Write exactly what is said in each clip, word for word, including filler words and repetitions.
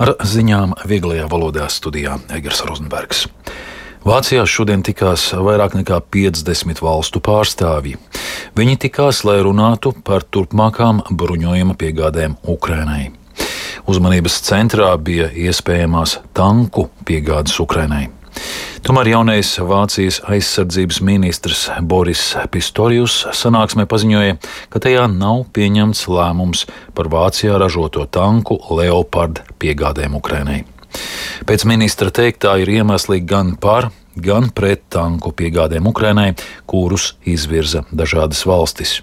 Ar ziņām vieglajā valodā studijā Egers Rozenbergs. Vācijā šodien tikās vairāk nekā piecdesmit valstu pārstāvji. Viņi tikās, lai runātu par turpmākām bruņojuma piegādēm Ukrainai. Uzmanības centrā bija iespējamās tanku piegādes Ukrainai. Tomēr jaunais Vācijas aizsardzības ministrs Boris Pistorius sanāksmē paziņoja, ka tajā nav pieņemts lēmums par Vācijā ražoto tanku Leopard piegādēm Ukrainai. Pēc ministra teiktā ir iemesli gan par, gan pret tanku piegādēm Ukrainai, kurus izvirza dažādas valstis.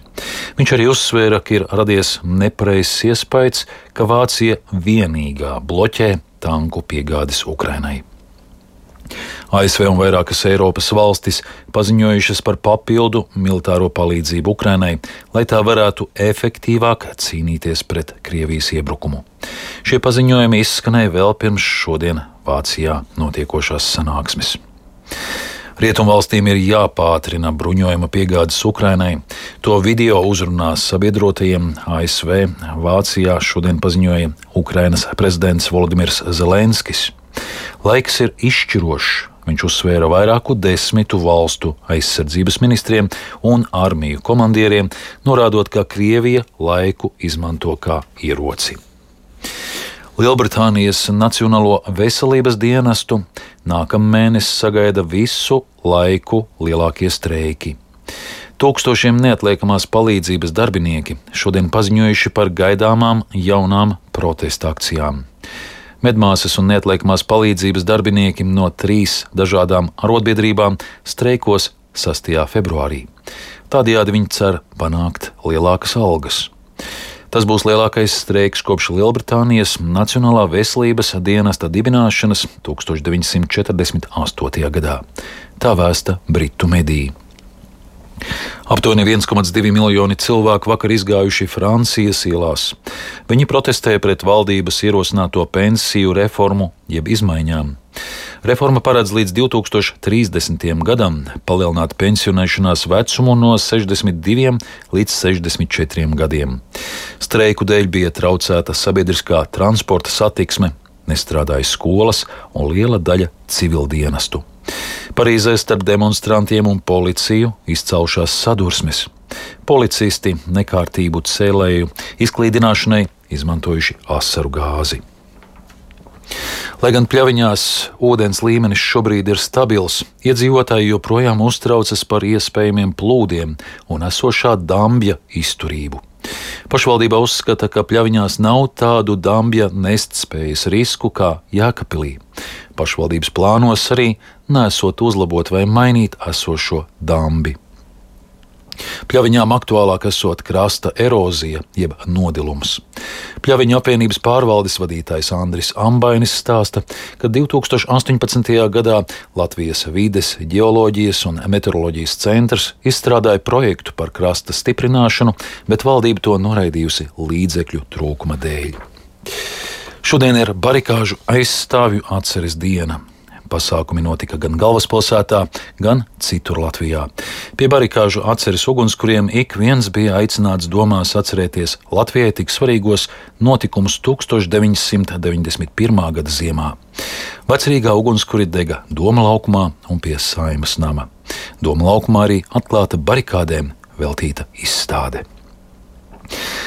Viņš arī uzsvēra, ka ir radies nepareizs iespējas, ka Vācija vienīgā bloķē tanku piegādes Ukrainai. A S V un vairākas Eiropas valstis paziņojušas par papildu militāro palīdzību Ukrainai, lai tā varētu efektīvāk cīnīties pret Krievijas iebrukumu. Šie paziņojumi izskanēja vēl pirms šodien Vācijā notiekošās sanāksmes. Rietumvalstīm ir jāpātrina bruņojuma piegādes Ukrainai. To video uzrunās sabiedrotajiem A S V Vācijā šodien paziņoja Ukrainas prezidents Volodimirs Zelenskis. Laiks ir izšķirošs, viņš uzsvēra vairāku desmitu valstu aizsardzības ministriem un armiju komandieriem, norādot, ka Krievija laiku izmanto kā ieroci. Lielbritānijas Nacionālo veselības dienestu nākamnedēļ sagaida visu laiku lielākie streiki. Tūkstošiem neatliekamās palīdzības darbinieki šodien paziņojuši par gaidāmām jaunām protesta akcijām. Medmāsas un neatliekamās palīdzības darbinieki no trīs dažādām arotbiedrībām streikos sastajā februārī. Tādējādi viņi cer panākt lielākas algas. Tas būs lielākais streiks kopš Lielbritānijas Nacionālā veselības dienesta dibināšanas tūkstoš deviņsimt četrdesmit astotajā gadā. Tā vēsta britu mediji. Aptuveni viens komats divi miljoni cilvēku vakar izgājuši Francijas ielās. Viņi protestēja pret valdības ierosināto pensiju reformu jeb izmaiņām. Reforma paredz līdz divtūkstoš trīsdesmitajam gadam palielināt pensionēšanās vecumu no sešdesmit diviem līdz sešdesmit četriem gadiem. Streiku dēļ bija traucēta sabiedriskā transporta satiksme, nestrādāja skolas un liela daļa civildienestu. Parīzē starp demonstrantiem un policiju izcaušās sadursmes. Policisti nekārtību cēlēju izklīdināšanai izmantojuši asaru gāzi. Lai gan Pļaviņās ūdens līmenis šobrīd ir stabils, iedzīvotāji joprojām uztraucas par iespējamiem plūdiem un esošā dambja izturību. Pašvaldība uzskata, ka Pļaviņās nav tādu dambja nestspējas risku kā Jēkabpilī. Pašvaldības plānos arī nesot uzlabot vai mainīt esošo dambi. Pļaviņām aktuālāk esot krasta erozija jeb nodilums. Pļaviņu apvienības pārvaldes vadītājs Andris Ambainis stāsta, ka divtūkstoš astoņpadsmitajā gadā Latvijas vides, ģeoloģijas un meteoroloģijas centrs izstrādāja projektu par krasta stiprināšanu, bet valdība to noraidījusi līdzekļu trūkuma dēļ. Šodien ir barikāžu aizstāvju atceres diena. Pasākumi notika gan galvaspilsētā, gan citur Latvijā. Pie barikāžu atceres ugunskuriem ik viens bija aicināts domās atcerēties Latvijai tik svarīgos notikumus tūkstoš deviņsimt deviņdesmit pirmā gada ziemā. Vecrīgā ugunskuri dega Doma laukumā un pie Saeimas nama. Doma laukumā arī atklāta barikādēm veltīta izstāde.